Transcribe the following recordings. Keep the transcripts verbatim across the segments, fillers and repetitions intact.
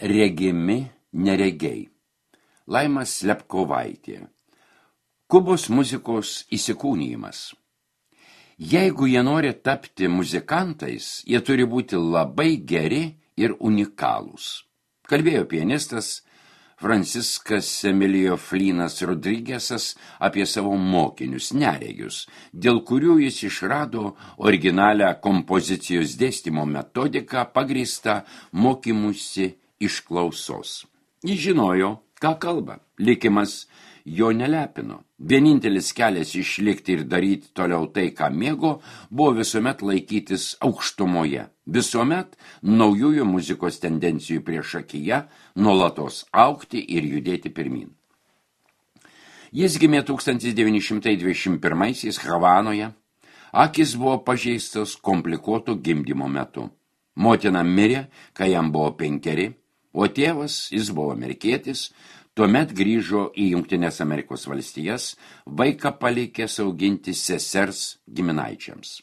Regimi neregiai. Laima Slepkovaitė. Kubos muzikos įsikūnijimas. Jeigu jie nori tapti muzikantais, jie turi būti labai geri ir unikalūs. Kalbėjo pianistas Franciskas Emilio Flinas Rodrigesas apie savo mokinius neregius, dėl kurių jis išrado originalią kompozicijos dėstymo metodiką pagrįstą mokymusi iš klausos. Jis žinojo, ką kalba. Likimas jo nelepino. Vienintelis kelias išlikti ir daryti toliau tai, ką mėgo, buvo visuomet laikytis aukštumoje. Visuomet naujųjų muzikos tendencijų priešakyje, nuolatos augti ir judėti pirmin. Jis gimė tūkstantis devyni šimtai dvidešimt pirmaisiais Havanoje. Akys buvo pažeistos komplikuoto gimdymo metu. Motina mirė, kai jam buvo penkeri, o tėvas, jis buvo amerikietis, tuomet grįžo į Jungtines Amerikos valstijas, vaiką palikęs auginti sesers giminaičiams.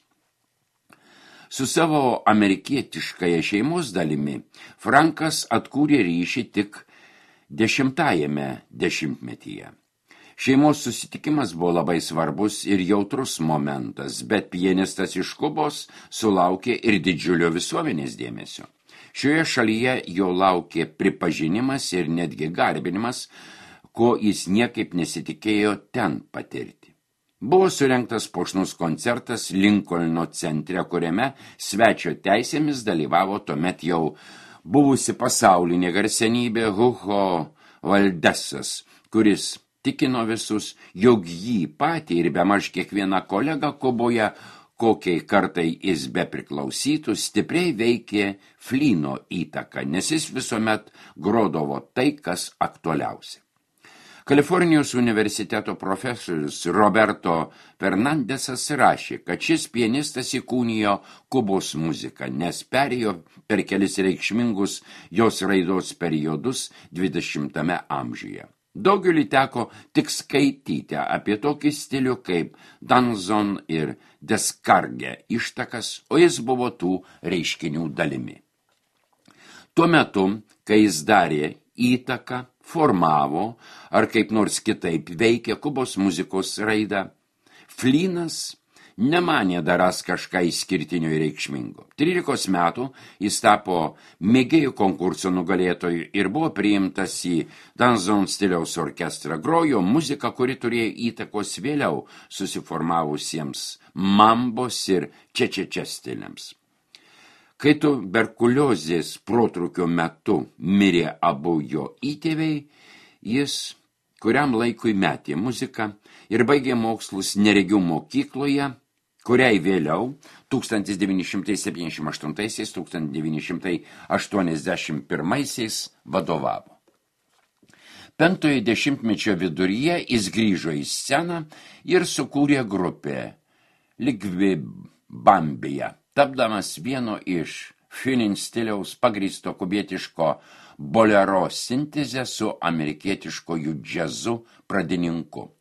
Su savo amerikietiškąja šeimos dalimi Frankas atkūrė ryšį tik dešimtajame dešimtmetyje. Šeimos susitikimas buvo labai svarbus ir jautrus momentas, bet pianistas iš Kubos sulaukė ir didžiulio visuomenės dėmesio. Šioje šalyje jo laukė pripažinimas ir netgi garbinimas, ko jis niekaip nesitikėjo ten patirti. Buvo surengtas puošnus koncertas Linkolno centre, kuriame svečio teisėmis dalyvavo tuomet jau buvusi pasaulinė garsenybė Hugo Valdesas, kuris tikino visus, jog jį patį ir bemaž kiekvieną kolegą Kuboje, kokiai kartai jis bepriklausytų, stipriai veikė Flino įtaka, nes jis visuomet grodavo tai, kas aktualiausia. Kalifornijos universiteto profesorius Roberto Fernandesas rašė, kad šis pianistas įkūnijo Kubos muziką, nes perėjo per kelis reikšmingus jos raidos periodus dvidešimtame amžiuje. Daugeliui teko tik skaityti apie tokį stilių kaip danzon ir deskarge ištakas, o jis buvo tų reiškinių dalimi. Tuo metu, kai jis darė įtaką, formavo ar kaip nors kitaip veikė Kubos muzikos raidą, Flinas nemanė darąs kažką išskirtinio ir reikšmingo. Trylikos metų jis tapo mėgėjų konkurso nugalėtoju ir buvo priimtas į danzon stiliaus orkestrą. Grojo muziką, kuri turėjo įtakos vėliau susiformavusiems mambos ir čečečia stiliams. Kai tuberkuliozės protrūkio metu mirė abu jo įtėviai, jis kuriam laikui metė muziką ir baigė mokslus neregių mokykloje, kuriai vėliau tūkstantis devyni šimtai septyniasdešimt aštuntaisiais - tūkstantis devyni šimtai aštuoniasdešimt pirmaisiais vadovavo. Penktojo dešimtmečio viduryje jis grįžo į sceną ir sukūrė grupę Ligvibambija, tapdamas vieno iš Finin stiliaus pagrįsto kubietiško bolero sintezę su amerikietiškoju džiazu pradininku.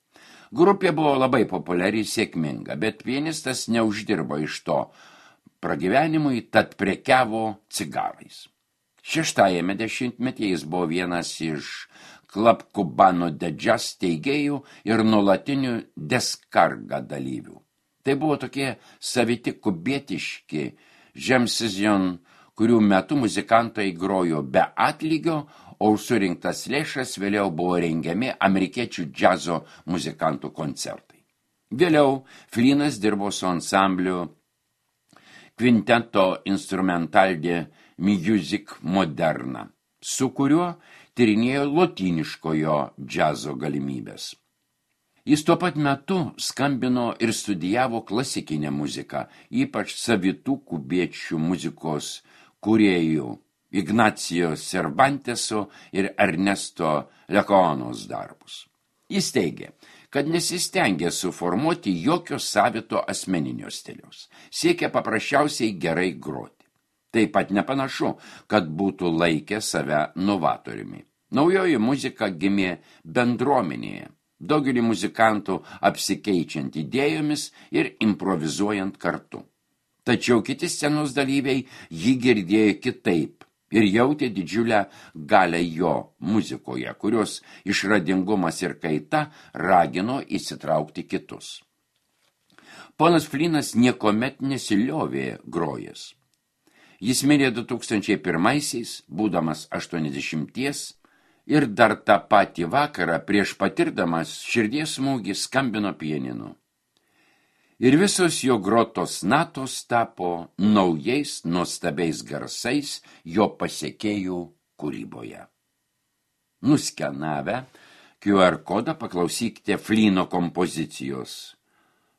Grupė buvo labai populiari ir sėkminga, bet pianistas neuždirbo iš to pragyvenimui, tad prekiavo cigarais. Šeštajame dešimtmetyje jis buvo vienas iš Club Cubano de Jazz steigėjų ir nuolatinių deskarga dalyvių. Tai buvo tokie saviti kubietiški žemsizion, kurių metu muzikantai grojo be atlygio, o surinktas lėšas vėliau buvo rengiami amerikiečių džiazo muzikantų koncertai. Vėliau Flinas dirbo su ansambliu Quinteto Instrumental de Music Moderna, su kuriuo tyrinėjo lotyniškojo džiazo galimybės. Jis tuo pat metu skambino ir studijavo klasikinę muziką, ypač savitų kubiečių muzikos kūrėjų Ignacio Cervanteso ir Ernesto Leconos darbus. Jis teigė, kad nesistengė suformuoti jokio savito asmeninio stiliaus, siekė paprasčiausiai gerai groti. Taip pat nepanašu, kad būtų laikę save novatoriumi. Naujoji muzika gimė bendruomenėje, daugelį muzikantų apsikeičiant idėjomis ir improvizuojant kartu. Tačiau kiti scenos dalyviai jį girdėjo kitaip, ir jautė didžiulę galę jo muzikoje, kurios išradingumas ir kaita ragino įsitraukti kitus. Ponas Flynas niekomet nesiliovė grojęs. Jis mirė du tūkstančiai pirmaisiais, būdamas aštuoniasdešimties, ir dar tą patį vakarą prieš patirdamas širdies smūgį skambino pianinu. Ir visos jo grotos natos tapo naujais nuostabiais garsais jo pasiekėjų kūryboje. Nuskenavę Q R kodą paklausykite Flyno kompozicijos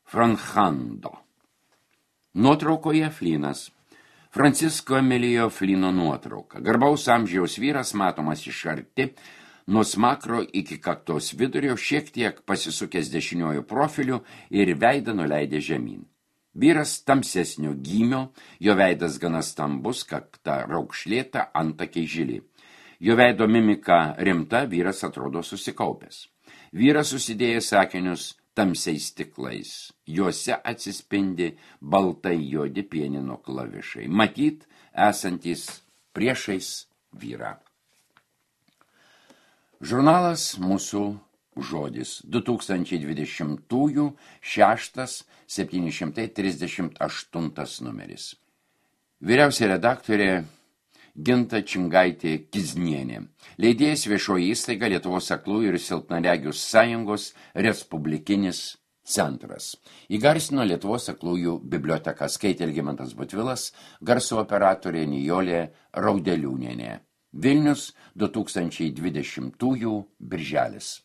Franchando. Nuotraukoje Flynas. Francisko Emilijo Flyno nuotrauka. Garbaus amžiaus vyras matomas iš arti, nuo smakro iki kaktos vidurio, šiek tiek pasisukęs dešiniuoju profiliu ir veidą nuleidė žemyn. Vyras tamsesnio gymio, jo veidas gana stambus, kakta raukšlėta, antakiai žili. Jo veido mimika rimta, vyras atrodo susikaupęs. Vyras susidėjęs sakinius tamsiais stiklais. Juose atsispindi baltai juodi pianino klavišai. Matyt, esantys priešais vyrą. Žurnalas Mūsų žodis. du tūkstančiai dvidešimtųjų šeštas septyni šimtai trisdešimt aštuntas numeris. Vyriausia redaktorė Ginta Čingaitė Kiznienė. Leidėjas Viešoji įstaiga Lietuvos aklųjų ir silpnaregių sąjungos Respublikinis centras. Įgarsino Lietuvos aklųjų biblioteka, skaitė Algimantas Butvilas, garso operatorė Nijolė Raudeliūnienė. Vilnius du tūkstančiai dvidešimtųjų birželis.